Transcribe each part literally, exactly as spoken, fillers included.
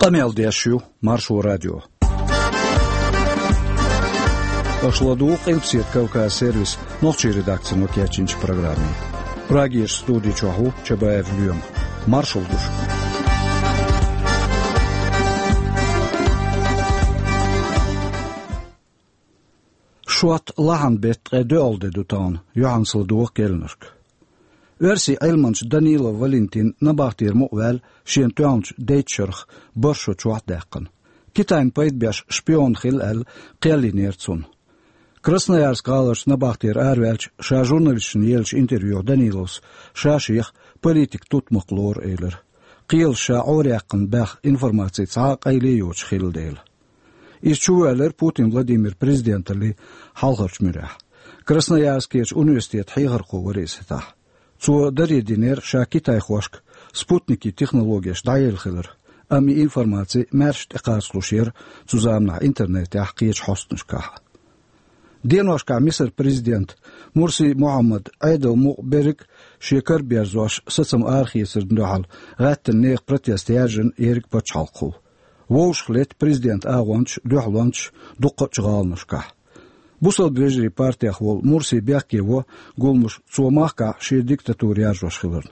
Къамел деш ю Маршо радио. Аша ладугӀу Къилбаседа Кавказ сервисан нохчийн редакцино кечйинчу программе. Прагерчу студи чохь ву Чабаев Лоьма. Маршалла ду шуьга. Шот лахьан беттан ткъе доьалгӀа де ду тахана, юьхьанца ладогӀа керланашка. Оьрсийн Ӏилманча Данилов Валентин набахтера мукъаваьлла шена тоьхначу дейтта шарах бархӀ шо чохь а даьккхина. Китайна пайда беш шпион хилла аьлла, кхел йинера цунна. Красноярск гӀаларчу набахтера араваьлча, ша журналисташна еллачу интервьюхь Даниловс ша шех политикан тутмакх лору элира. Кхелаша ша Ӏораяьккхина баьхна информаци цхьа а къайле а йоцуш хилла дела. Иза чувоьллира Путин Владимир президенталлин хьалхарчу муьрехь. Красноярскерчу университетан хьехархо вара иза хӀетахь. Цо даре динера ша китайхошка спутникийн технологеш дӀаелла хилар, амма и информаци маьрша тӀекхачалуш яра цу заманахь интернетехь, кхечу хьостанашкахь. Деношкахь Мисар президента Мурси Мухьаммада Ӏедалан мукъа берриг а шен кара берзош сацам арахецарна дуьхьал гӀаьттина нехан протест яржина ерриг а пачхьалкхо. Вовшах летта президентан агӀончаш, дуьхьалончаш дуккхачу гӀаланашкахь. Бусалба вежарийн партех волу Мурси бехке во гуламаш цо махкахь шен диктатура яржош хиларна.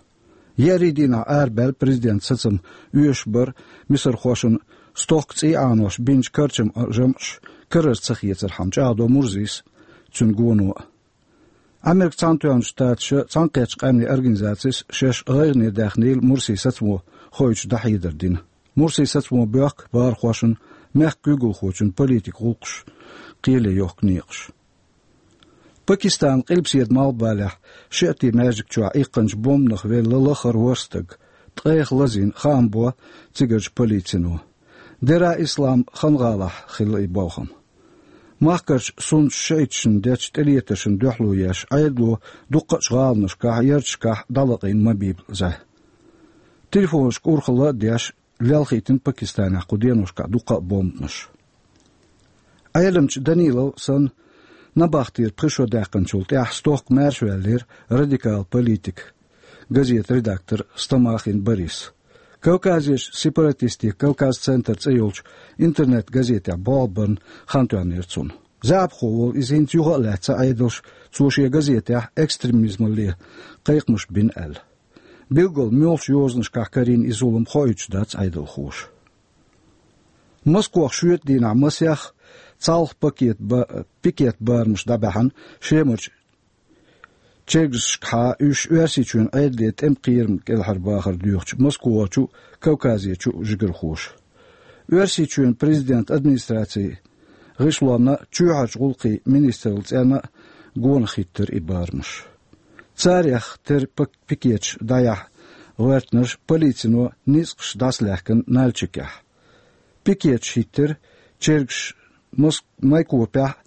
Еарин дийнахь арабаьлла президентан сацам оьшуш бара мисархошна стохка цӀий Ӏанош бинчу карчаман жамӀаш карара ца хецархьама, чӀагӀдо Мурсис а, цуьнан гоно а. Ӏамеркан Цхьаьнатоьхначу Штаташа, Цхьаьнакхеттачу Къаьмнийн Организацис шаьш гӀайгӀане даьхнийла Мурсин сацамо хоуьйтуш дӀахьедар дина. Мурсин сацамо боьхку бахархошна мехкан куьйгалхочун политикан гӀуллакхаш кхеле йохку некъаш. Пакистанан Къилбаседа малхбалехь шиӀитийн маьждиг чохь иккхинчу бомбанах велла лахара ворхӀ стаг, ткъех лазийна, хаам бо цигарчу полицино. Дера Ислам хан гӀалахь хилла и болх-м. Махкарчу суннатчу шиӀиташна дечу тӀелетаршна дуьхьало еш, Ӏедало дуккхачу гӀаланашкахь, ярташкахь дӀалакъийна мобилизаци. Телефонашка урхалла а деш, лелхийтина Пакистанехь кху деношкахь дуккха а бомбанаш. Ӏеламчу Данилов санна, набахтера пхи шо даьккхинчул тӀаьхьа стохка маьршаваьллера радикал политик, газетан редактор Стамахин Борис. Кавказерчу сепаратистийн «Кавказ-центр» цӀе йолчу интернет-газетехь болх барна хан тоьхнера цунна. ЗаьӀапхо волу иза хӀинца юха а лаьцна Ӏедалша, цо шен газетехь экстремизмалле кхайкхамаш бина аьлла. Билггал муьлхачу йозанашкахь карийна и зулам хоуьйтуш дац Ӏедалхоша. Москвахь шоьтан дийнахь масех цхьалха пакет ба-, пикет барамаш дӀабаьхьна Шемарчу чергазашкахьа, уьш Оьрсийчоьнан Ӏедале тӀеман кхерам кӀелхьарбахар доьхучу Москвахочу а, Кавказерчу а жигархоша. Оьрсийчоьнан президентан администрацин гӀишлонна а, чоьхьарчу гӀуллакхийн министраллин цӀенна а гонах хӀиттира и барамаш. Царех тера пак-, пикеташ дӀаяхьа гӀоьртинарш полицино ницкъаш дӀасалаьхкина Нальчикехь. Пикеташ хӀиттира чергаш Моск-, Майкопехь а,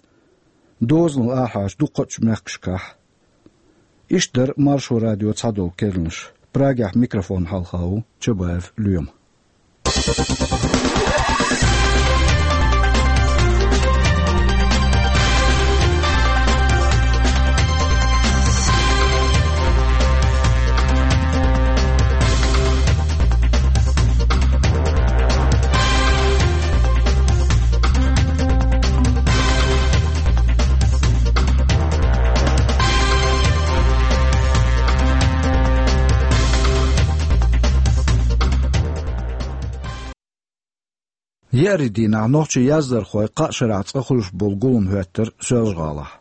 дозанал арахьарчу дуккхачу мехкашкахь. Иштта дара Маршо радион цхьадолу керланаш. Прагехь микрофон хьалха ву Чабаев Лоьма. Еарин дийнахь нохчийн яздархой кхаа шарахь цкъа хуьлуш болу гулам хӀоьттира Соьлжа-ГӀалахь.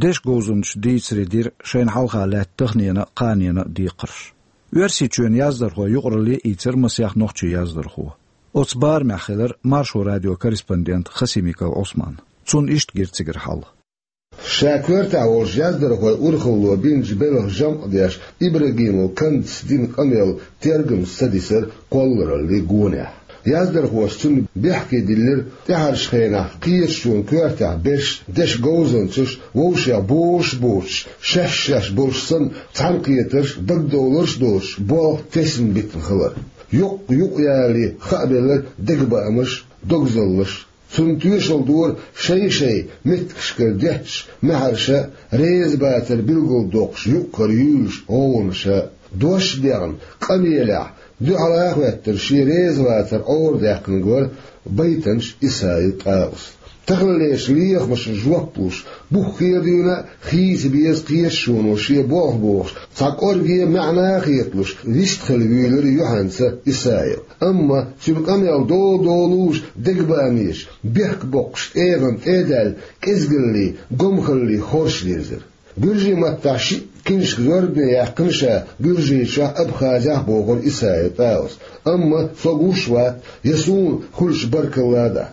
Дешан говзанчаша дийцаре дира шайна хьалха лаьтта таханена а, кханена а декхарш. Оьрсийчоьнан яздархойн юкъаралле а ийцира масех нохчийн яздархо. Оцу барамехь хилира Маршо радион корреспондент Хасимиков Ӏусман. Цунна иштта гира цигара хьал. Ша коьртехь волчу яздархойн урхалло бинчу белхан жамӀ деш, Ибрагимов Кандас дина къамел тергамца ца дисира кхоллараллин гонехь. Яздархоша цунна бехке диллира тӀаьхьарчу хенахь кхеташонан коьртехь берш, дешан говзанчаш, вовшех бозуш а боцуш, шаьш-шаьш болуш санна, цхьаьнакхетарш, дагадовларш а доцуш, болх тесна битина хилар. Юкъ-юкъаяле хаабелира дегабаамаш, догзаллаш. Цунна тоьшалла дора шай-шай меттигашкара детташ маьхьарша, реза бацар билгалдоккхуш юкъ-кара юьйлуш гӀовгӀанаша. Дош а дехна, къамелехь Дуьхьал а хеттара шен резавацар Ӏорадаьккхинарг вара Байтанаш Исаил ТӀаус. Таханлерчу лехамашна жоп луш, буххе а дуьйна а хийца беза кхеташоно шен болх бохуш, цхьа кӀорге а маьӀна а хеталуш, вистхила вуьйлира юьхьанца Исаил. Амма цуьнан къамел дола-долуш, дегабанеш, бехк боккхуш, тӀегӀан тӀе а даьлла, кӀезгаллий, гомхаллий хорша дирзира. Гуьржийн маттахь шиъ киншка зорбане яьккхина ша Гуьржийчохь, Абхазехь, бохура Исаил ТӀаус. Амма со гуш вац, я суна хуьлуш баркалла а дац.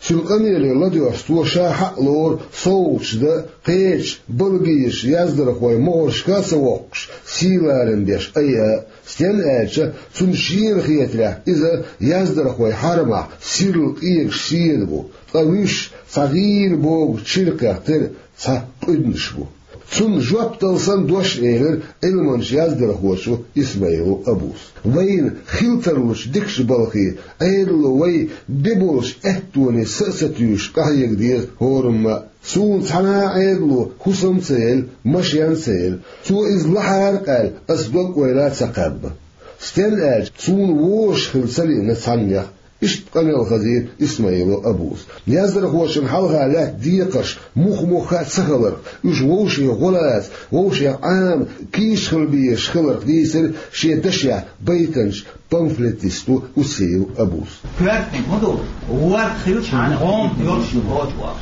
Цуьнан къамеле ладоьгӀуш, цо ша хьа а лору совгӀаташ дан, кхечу балгийчу яздархойн могӀаршка а ца воккхуш, сий ларам беш айа а. Стенна аьлча, цунна шена хетарехь, иза яздархойн хьарамехь сирла къегаш седа бу, ткъа вуьш цхьа гӀийла богу чиркхехь тера цхьа къуьднаш бу. Цунна жоп дала санна дош а элира Ӏилманчу яздархочо Исмаилов Абус. Вайна хила тарлучу дикачу балхе, Ӏедало вай бен болчу аьттоне са а ца туьйсуш, къахьега деза хӀораммо а. Суна цхьана а Ӏедало хӀусам а ца елла, машен а ца елла. Цо иза лахьара а къаьлла, ас дог-ойла а ца кхаьбна. Стенна аьлча, суна вожаш хила ца лиъна цхьаннех. Иштта къамел хазийра Исмаилов Абус. Яздархошна хьалха лаьтта декхарш муха-муха а ца хиларх, уьш вовшийн гӀо лаца, вовшех Ӏама кийча хила безаш хиларх дийцира шен дашехь Байтанаш памфлетисто Усиев Абус. Коьртаниг хӀун ду? ВорхӀ хилча, хьан гӀома йолуш ю кхочу вахаш.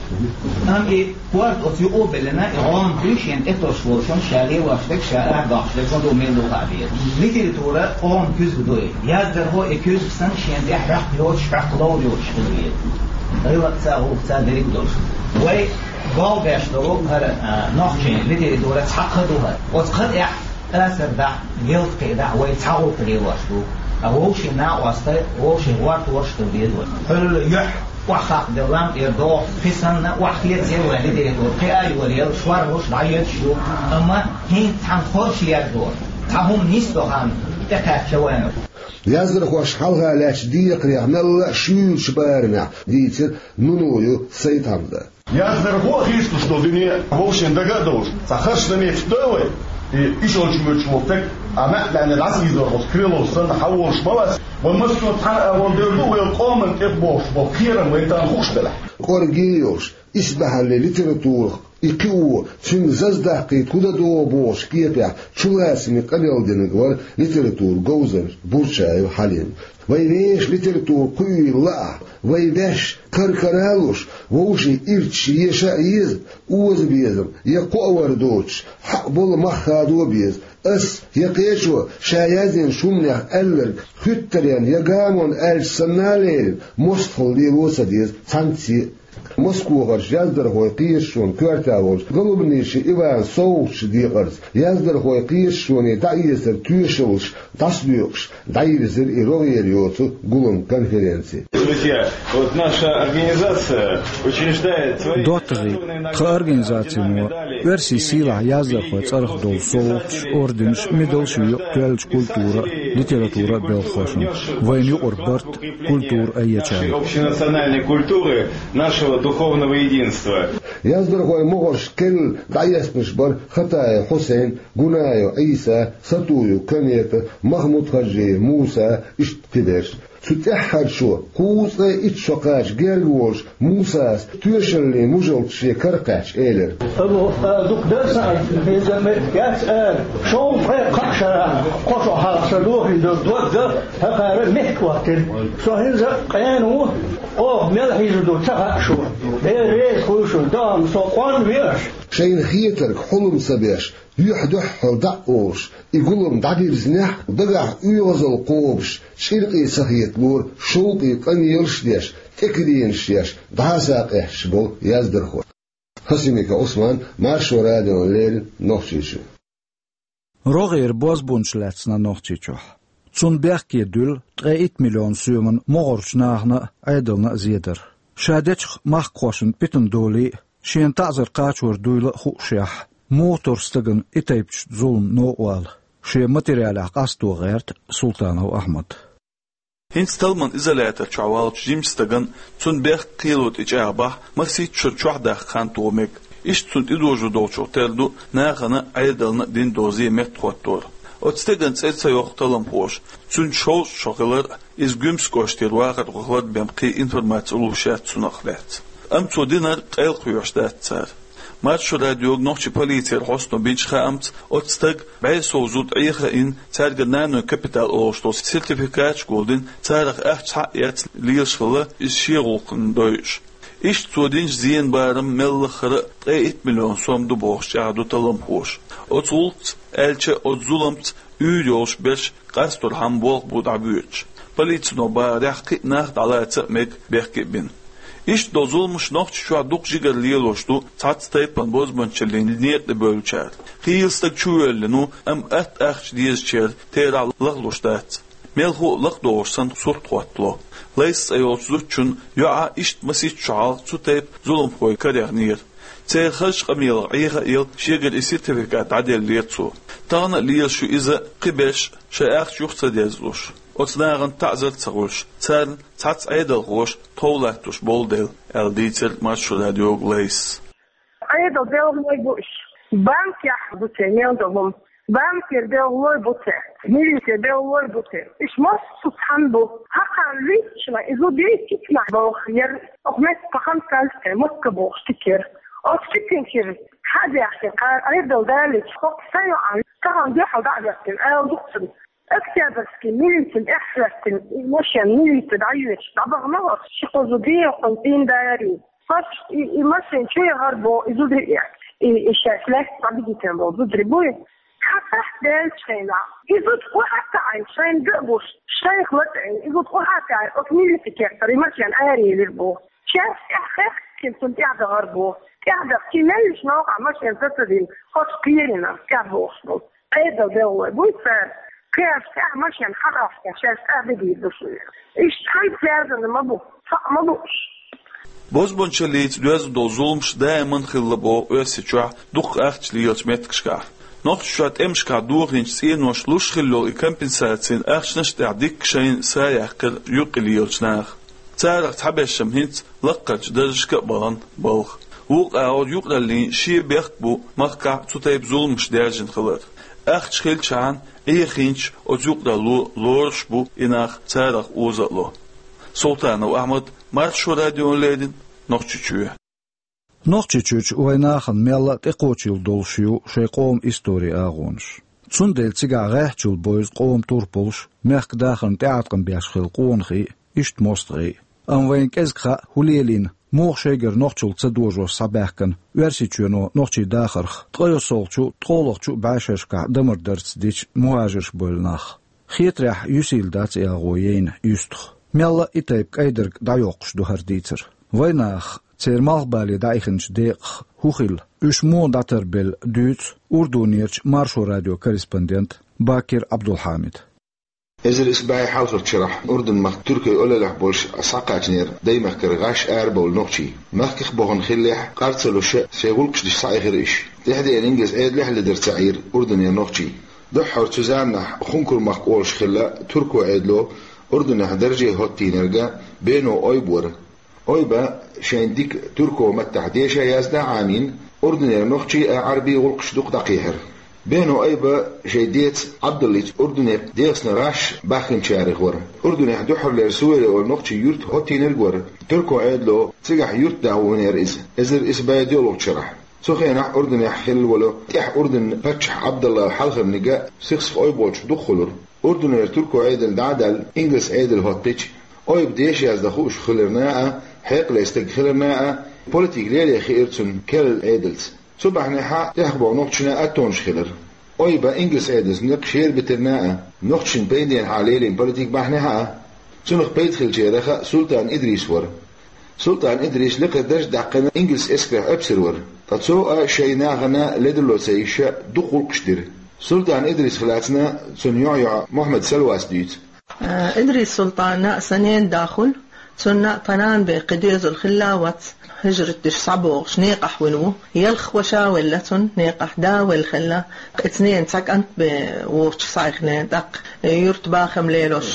Амма и корта оцу юкъа а беллина, и гӀома дуьйш шена тӀетосуш волчунна ша лелош дерг, ша арадоккхуш дерг хӀун ду, мила ду хаа беза. Литература гӀома куьзга ду и. Яздархо и куьзга санна шена тӀе хьоькху йоцуш, хьоькху ловр йоцуш хила веза. ГӀиллакхца а, гӀуллакхца а дерриг а долуш. Вай болх беш долу хӀара, а, нохчийн литература цхьа кха ду хӀара. Оцу кха тӀехь асар дахь, гӀиллакх кхиа дахь, вай цхьа гӀуллакх лелош ду. Ткъа вовшийн накъостий, вовшийн гӀортор хила деза вай. Хьуьлла юьхь охьахакхаделла лам тӀера догӀу, кхин санна охьахецаделла вайн литература, кхин а йолаелла, шорлуш дӀаоьцуш ю. Амма хӀинца цхьана хорша яздо, цхьа хӀума нисдо хан тӀекхаьчча вайна. Яздархошна хьалха лаьттачу декхарех мелла а шуьйрачу барамехь дийцира Нуноев Сайд-Хьамза. Яздархо а хийцалуш долу дуьне вовшийн дага а довлуш, цхьа харш замеча до вай, и ишолчу муьрчу волу стаг, а маьӀ-маьӀне дӀасаийзор волчу Крылов санна, хьан волуш ма вац, вай массо а цхьана а волу дер ду, вай къоман тӀе бохуш болу кхерам вайн тахана хууш делахь. КӀорге а йолуш, исбаьхьаллин литературах и кхио, цуьнга заздаккхийта хӀун дан догӀу бохучу кепехь чулацаме къамел динарг вара литературан говзанча Бурчаев Хьалим. Вай вешан литература кхуьийла лаахь, вай ваьш кара-кара а луш, вовшийн ирчаш еша а еза, оза безам я кхоавар доцуш, хьаъ болу мах хадо а беза. Ас я кхечо ша яздинчу хӀуманех аьлларг хуьттаренна я гамонна аьлча санна а лерина, мостагӀалла лело а ца деза цхьаьнцца а. Москвахарчу яздархойн кхеташонан коьрта волчу Голубнишин Ивана совгӀатчу декъарца яздархойн кхеташоне дӀаэцаран тоьшаллаш дӀасадоькъуш, дӀайирзира и рогӀера йоцу гулам-конференци. Друзья, вот наша организация учреждает свои... ДоттагӀий, тхан организацино оьрсийн сийлахь яздархойн цӀарах долу совгӀаташ, орденаш, медалш йо тоьллачу культура а, литература а белхахошна. Вайна юкъара барт, культура айъечарна. Общенациональной культуры, нашего духовного единства. Яздархойн могӀарш керла дӀаэцнарш бара Хатаев Хьусайн, Гунаев Ӏийса, Сатуев Комета, Махмуд-Хьажиев Муса, иштта кхиберш. Цу тӀаьххьарчо, кхузткъе итт шо кхача герга волуш, Мусас тоьшаллин мужалт шен кара кхаьчча элира: Абу, а, дукха дара сан, иза ме яц ара, шовзткъе кхаа шарахь кхо шо хьалха сан дохийна долу дог а, хӀокхара меттахӀоттийна. Со хӀинца а къена ву, оха мел хьийза ду ца хаьа шуна. Дела реза хуьлда шуна, догӀма со къонвеш. Шайна хетарг хьулам ца беш, юьхь-дуьххьал дӀа а олуш, и гулам дӀабирзинехь а, дагахь оьгӀазалла кхобуш, чӀиркъе ца хеталора, шовкъе къамелаш а деш, тӀекиденаш еш, дӀасакъаьсташ болу яздархой. Хасимиков Ӏусман, Маршо радиона леррина, Нохчийчоь. РогӀера бозбунчаш лаьцна Нохчийчохь. Цунна бехке дуьллу ткъе итт миллион соьман могӀарчу нахана а, Ӏедална а зедар. Ша дечу махкахошна питана долий а, шена таӀзар кхачор дуйла а хуушшехь, муха-м стагана и тайпанчу зуламан новкъа вала, шен материалехь къасто гӀерта Султанов Ахьмад. ХӀинца талламан изолятор чохь волчу жимачу стагана, цунна бехк-кхело тӀечӀагӀбахь, масийтта шура чохь даккха хан тоха мега. Иштта цунна тӀедожо долчух тера ду нахана а, Ӏедална а дина доза меттахӀоттор. Оцу стеган цӀе ца йоккху талламхоша. Цуьнан шовзткъа шо хилар а, иза Гуьмсан кӀоштера вахархо хилар бен кхин информаци луш яц цунах лаьцна. Амма цо динарг къайлакхоьхьуш дац цара. Маршо радиога нохчийн полицера хьостано бинчу хаамца, оцу стага бӀе сов зуда Ӏеха а йина, цаьргара нанойн капитал олуш долу сертификаташ а гулдина, царах ахча схьа а эцна лелаш хилла, иза шен гӀуллакхна дойуш. Иштта цо динчу зенан барам мел лаххара а ткъе итт миллион сом ду бохуш чӀагӀдо талламхоша. Оцу гӀуллакхца, аьлча а, оцу зуламца уьйр йолуш берш къасторхьама болх бу дӀабоьдуш. Полицино бахарехь, кхин а нах дӀалаца а мега, бехке а бина. Иштта долу зуламаш Нохчийчохь дукха жигара лелош ду цхьацца тайпана бозбуунчаллин некъа тӀе бевллачара. Хийла стаг чувоьллина ву, амма атта ахча дезачеран терахь лахлуш дац. Мелхо а лакхадогӀуш санна сурт хӀоттало. Лайс цӀе йолчу зудчун йоӀа иштта масех шо хьалха цу тайпа зуламхойн кара яхнера. Церан хазачу къамелах Ӏеха а елла, шегара и сертификат дӀаделлера цо. Тахана а лелаш ю иза, кхиберш а, шайн ахча юха ца дезлуш, оцу нахана таӀзар а ца хуьлуш, царна цхьацца Ӏедалхоша тхов латтош болу дела, аьлла дийцира Маршо радиога Лайсас. Ӏедалан белхалой бу уьш. Банкехь бу церан мел долу хӀума. Банкера белхалой бу церан. Милицера белхалой бу церан. Уьш массо а цхьаьна бу. Хьакхарна луьйчу хенахь, иза дийцича нах боху, яра оха метта пахан калчкъе Москва бохуш тикера. Оцу тикинчуьра хьа а баьхкина, кхара Ӏедал далийча, хӀокху сан йоӀан тахана дуьхьал дӀа а хӀоьттина, ала ду-кх цунна. Октябрьский милицина тӀаьхьахӀоьттина, и машен милица дӀайоьдуш, дӀабахана оцу ши-кхо зуда, и хӀокхуьнан цӀийнан да яра иза. Оцу и, и машен чу яхара боху, и зударий, и, и шаьш лаьцна дӀабигийтина болу зударий буй. Хьан сахьт даьллачу хенахь, и зуда охьа а таӀийна, шайна ган а гуш, шайх латӀийна, и зуда охьа а таӀийна, оцу милицин кехатара и машен араелира боху. Шаьш тӀаьхьахӀоьттина цунна тӀаьхьадахара боху. ТӀаьхьадахча, и меллачу новкъахь машен сацадина, хӀокху кхерина тӀаьхьабохуш болу. Ӏедалан белхалой буй цара, кхераш тӀехь машен хьагӀаьхкина, шаьш тӀаьхьа бигийр ду шуна. Иштта хьан связано ма бу, цхьаъ ма бу уьш. Бозбуунчаллица доьзна долу зуламаш даиман хилла боху Оьрсийчохь дукха ахча лелачу меттигашкахь. Нохчийчохь тӀемашкахь дохийначу цӀеноша луш хилла йолу и компенсацин ахчанаш тӀехь дикка шайна са яьккхира юккъе лелачу наха. Царах цхьабершна хӀинца лаккхарчу даржашка а бахана балха. Вукху агӀор юкъараллин шен бехк бу махкахь цу тайпа зуламаш даьржина хилар. Ахча хилчахьана, Ӏехийначу оцу юкъаралло лоруш бу и нах, царах оза а ло. Султанов Ахьмад, Маршо радиона леррина, Нохчийчоь. Нохчийчуьрчу вайн нахана мелла а тӀекхочийла долуш ю шайн къоман историн агӀонаш. Цундела цигахь гӀеххьачул бевза къоман турпалш, мехкан дахарна тӀеӀаткъам беш хилла къонахий, иштта мостагӀий. Амма вайна кӀезиг хаьа, хӀун лелийна, муха шайгара нохчалла ца дожош схьабаьхкина Оьрсийчоьно нохчийн дахарх ткъайоьсналгӀачу, ткъолгӀачу бӀешерашкахь дамар дарца дича мухӀажарш бевлла нах. Хетарехь, юьсийла дац и агӀо яйна юьстах. Мелла а и тайпа кӀайдарг дӀайоккхуш ду хӀара дийцар. Вайн нахах, церан малхбале дӀаихначу декъах хӀун хилла, уьш муха дӀатарбелла дуьйцу Урдунерчу Маршо радион корреспондента Бакир Ӏабдулхьамида. Эзар исс бӀе хьалхарчу шарахь Урдун-махка туркойн олаллехь болуш схьакхачанера даймахкара гӀаш арабевлла нохчий. Махках а бахана хиллехь, къар ца луш, шайн гӀуллакхаш деш схьаихира уьш. ТӀаьхьа деана ингалс Ӏедалехь а ледар ца Ӏийра Урдунера нохчий. Дуьххьара цу заманахь Хункур-махка олуш хилла туркойн Ӏедало Урдунехь дарже хӀоттийнарг Бено Ойба вара. Ойба шайна дика туркойн маттахь деша, язда Ӏамийна, Урдунера нохчийн а, Ӏарбийн гӀуллакхаш дукха дӀакхехьира. Бено Ойба шайн деца Ӏабдуллица Урдуне ДегӀастан гӀаш бахкиначарех вара. Урдунехь дуьххьарлера Сувеле олу нохчийн юрт хӀоттийнарг вара. Туркойн Ӏедало цигахь юрт даха ваханера иза, эзар исс бӀе доьалгӀачу шарахь. Цу хенахь Урдунехь хилла волу тӀаьхьа Урдунан паччахь Ӏабдалла хьалхарниг Сихсиф Ойба волчух дукха хуьлура. Урдунера туркойн Ӏедал дӀа а даьлла, ингалс Ӏедал хӀоттича, Ойба деша яздан хууш хиларна а, хьекъале стаг хиларна а, политика лело хиира цунна керла Ӏедалца. Цу бахьанехьа тӀехбоху нохчашна аттонаш хилира. Ойба ингалс Ӏедалца некъ шера битарна а, нохчашна пайденехьа лелийна политика бахьанехьа а. Цунах пайда хилчарех Султан Идрис вара. Султан Идрис лекхара дарж а даьккхина, ингалс эскарехь оьпсар вара. Ткъа цо а шайн нахана ледарло ца йиш, дукха гӀуллакхаш дира. Султан Идрисах лаьцна цуьнан йоӀ-йоӀа Мухьаммад Салвас дуьйцу. Э, Идрис Султана а сан ненан да хуьлу, цунна а тхан нана бен кхин доьзал хилла а вац, хӀижрат деш схьабогӀуш некъахь вина ву. Ялх ваша велла цунна некъахь, да велла хилла, кхин цу ненан цхьа кӀант бен вочу схьаихна, тӀаккха юрт бахам лелош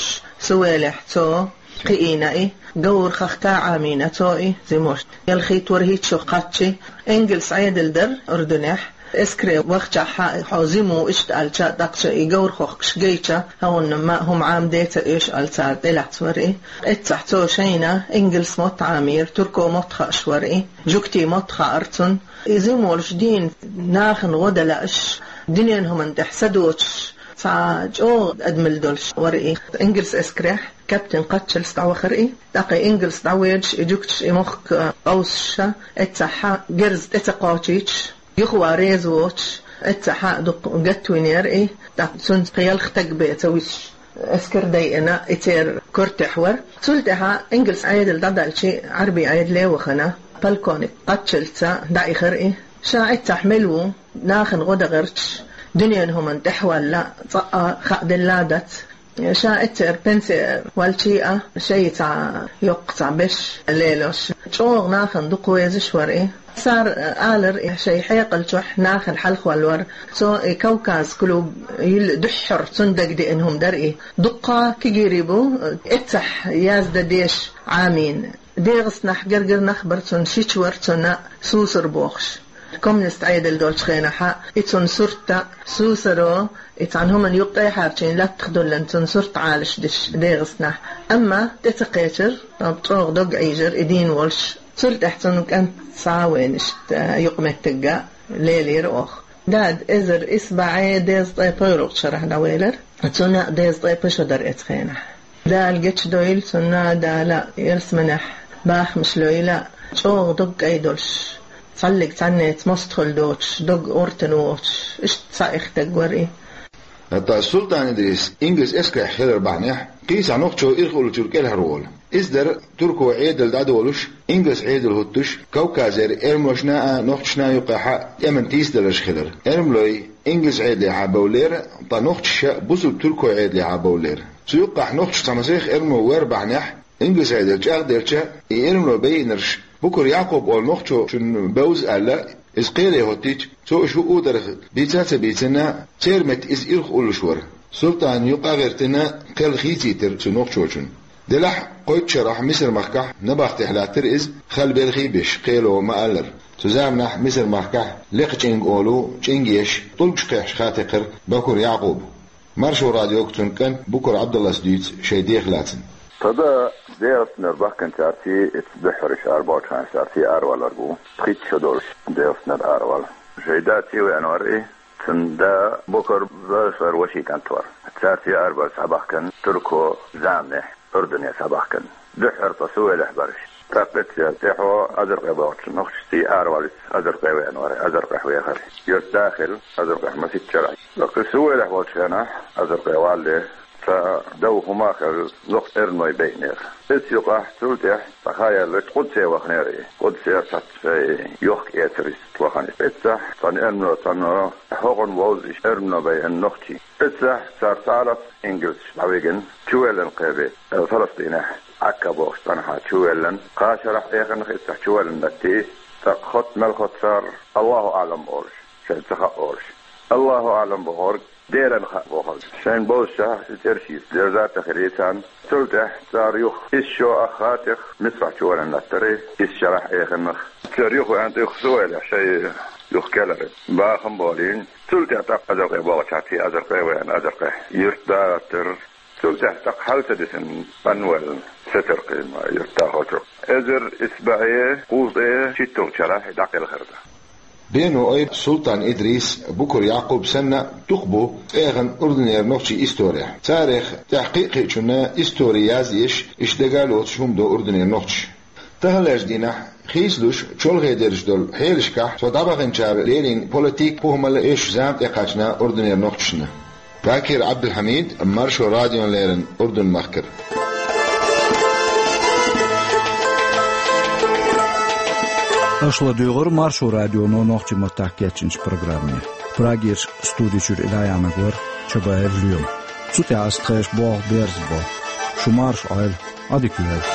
Сувелехь цо кхиийна и, Гавр-хахка Ӏамийна цо и, зимош ялхитта-ворхӀитта шо кхаччи, ингалс Ӏедал дара Урдунехь, Эскаре вахчахьа, хьо зиму иштта аьлча, тӀаккха и говр хохкаш гайча, хьуна ма хӀума Ӏамаде ца оьшу аьлла цара тӀелаьцна вар и. Эццахь цо шайна ингалс мотт Ӏамийра, турко мотт хууш вар и, жуьгти мотт хаьара цунна. И зиму волуш дийна нахана гӀо дан лаьаш, дуьненан хӀуманна тӀехь са доцуш, цхьа чӀогӀа адамалла долуш вар и. Ингалс эскарехь каптан кхаччалц дӀавахара и. ТӀаккха ингалс дӀавоьдуш, и жуьгташ, и мохк къовсуш, эццахь герз тӀе ца кхочуьйтуш, юхаван реза воцуш, эццахь дукха гатвинера и, тӀаккха цуьнца кхин ялх стаг бен ца висуш, эскар дайина, и церан кортехь вар. Цул тӀаьхьа ингалс Ӏедал дӀадаьлча, Ӏарби Ӏедале а вахана, полковник кхаччалц дӀаихара и. Ша эццахь мила ву, нахана гӀо дан гӀерташ, дуьненан хӀуманна тӀехь валла, цкъа а хааделла дац. Ша эццахь пенсе ваьлча а, шайн цхьа йоккха цхьа беш лелош, чӀогӀа нахана дукха везаш вар и. Цара алар и, шайн хьекъал чохь нахана хьалхаваьлла вар. Цо и Кавказ клуб йилла дуьххьара цунна дагадеана хӀума дара и. Дуккха кегийрхой бу эццахь яздан дезаш Ӏамийна. ДегӀастанахь гергара нах бара цунна, шича вара цунна Сусар бохуш. Коммунист Ӏедал долчу хенахь и цунна сурт а, Сусаро, и цхьана хӀуманна юккъе хьарчийна латтах долларна цунна сурт Ӏалашдеш ДегӀастанахь. Амма тӀе ца кхечира, чӀогӀа дог Ӏийжира и дийна волуш. Цул тӀаьхьа цунна кӀант схьа а вайна, иштта юкъаметтигга лелийра оха. Дада эзар исс бӀе дезткъе пхоьалгӀачу шарахь дӀавелира. Цунна дезткъе пхи шо дара эцу хенахь. Дала гечдойла цунна, Дала ялсаманехь бахамаш лойла, чӀогӀа дог кӀай долуш, цхьаллиг цхьаннеца мостагӀалла доцуш, дог гӀортана воцуш, иштта цхьа эхь стаг вар и. ХӀаьта Султан Идрис ингалс эскарехь хилар бахьанехь, кхин цхьа нохчо ирхъуллучуьра кӀелхьарволу. Иза дара турко Ӏедал дӀадолуш, ингалс Ӏедал хӀуттуш, Кавказера эрманошна а, нохчашна а юккъехь тӀеман тийсадаларш хилар. Эрмалой ингалс Ӏедалехьа бовллера, ткъа нохчаша бусулба турко Ӏедалехьа бовллера. Цу юккъехь нохчаш цхьа масех эрмано вер бахьанехь, ингалс Ӏедал чӀагӀделча, и эрмано байинарш Букур Якъуб олу нохчочунна бевза аьлла, иза кхеле хӀоттийча, цо уьш хӀуъу дарх бийца а ца бийцина, церан метта иза ирхъуллуш вара. Султана юкъа а гӀиртина, кхел хийцийтира цу нохчочунна. Делахь кхойтта шарахь Мисар-махкахь набахтехь лаьттира иза, хала белхий а беш, кхело ма-аллара. Цу заманахь Мисар-махкахь лекхачӀинг олу чӀинг еш, тӀулгаш кхехьаш хатекхира Бакур Якъуба. Маршо радиога цуьнан кӀант Букур Ӏабдаллас дуьйцу шайн дех лаьцна. Тхан да ДегӀастанера бахканчаьрца эцца дуьххьара иштта арабовлучу хенахь цаьрца аравалар бу. Пхийтта шо долуш ДегӀастанера аравала. Шайн да цӀа веана вара и, цуьнан да Букур Зофера вешин кӀант вара. Цаьрца арабара схьабахкана турко заманехь Урдане схьабахкана. Дуьххьара тхан Сувелехь бара уьш. ТӀаккха эццахь тӀаьхьо Азаркъе бохучу нохчашца аравалийта Азаркъе веана вара, Азаркъехь вехара. Юьртда а хилла Азаркъехь масийтта шарахь. ТӀаккха Сувелехь волчу хенахь Азаркъе валале, цхьа дов хӀума а хилла, нохчий эрмалой байинера. Эццахь юкъахь цул тӀаьхьа цхьа хан яьлла Къудсе ваханера и. Къудсера цхьацца шайн йохк-эцарца вахана. Эццахь цхьана эрмано, цхьана хӀокхунна вовза иштта эрмано байина нохчий. Эццахь цара цхьа а лаьцна ингалсаш дӀавигина, чувеллина кхин бен, Фаластинехь, Ӏакка бохучу цӀанхьа чувеллина, кхаа шарахь эханах эццахь чувеллина латти, тӀаккха хотта мел хотта цара, Аллаху аӀлам олуш, шайна ца хаьа олуш. Аллаху аӀлам бохург Делан хаьа бохург. Шайна бовзучохь и цӀераш йийца дерза а тахири царна. Цул тӀаьхьа цара юха исс шо ах хан тӀех Мисрахь чувеллина латтара, исс шарахь эханах. Цара юха веана тӀе юха Сувелехь шайн юха кхелира. Бахам болийна. Цул тӀаьхьа тӀаккха Азаркъе бохучаьрца Азаркъе веана, Азаркъехь юьртда а гӀаттара. Цул тӀаьхьа тӀаккха хьал ца дисина, къанвелла, Сетаркъин юьртдахочух. Эзар исс бӀе кхузткъе шийтталгӀачу шарахь дӀакхелхира. Бено Айр, Султан Идрис, Букур Якъуб санна дукха бу цӀеяхана Урданера нохчийн исторехь. Царех тӀехь кхин а кхечунна истори язъеш, иштта дага а лоцуш хӀума до Урданера нохчаша. Таханлерчу дийнахь, хийцалуш чолхе дерзаш долу хьелашкахь, цо дӀабаханчара леррина политик, похӀмалла эшначу зама тӀекхаьчна Урданера нохчашна. Бакир Ӏабдулхьамид, Маршо радиона леррина Урдун-махкара. Аша ладуьйгӀира Маршо радионо нохчийн маттахь кечйинчу программе. Прагерчу студи чуьра и дӀаяьхьнарг вара Чабаев Лоьма. Цу тӀехь ас тхешан болх берзабо. Шу марша Ӏойла, Ӏадика йойла.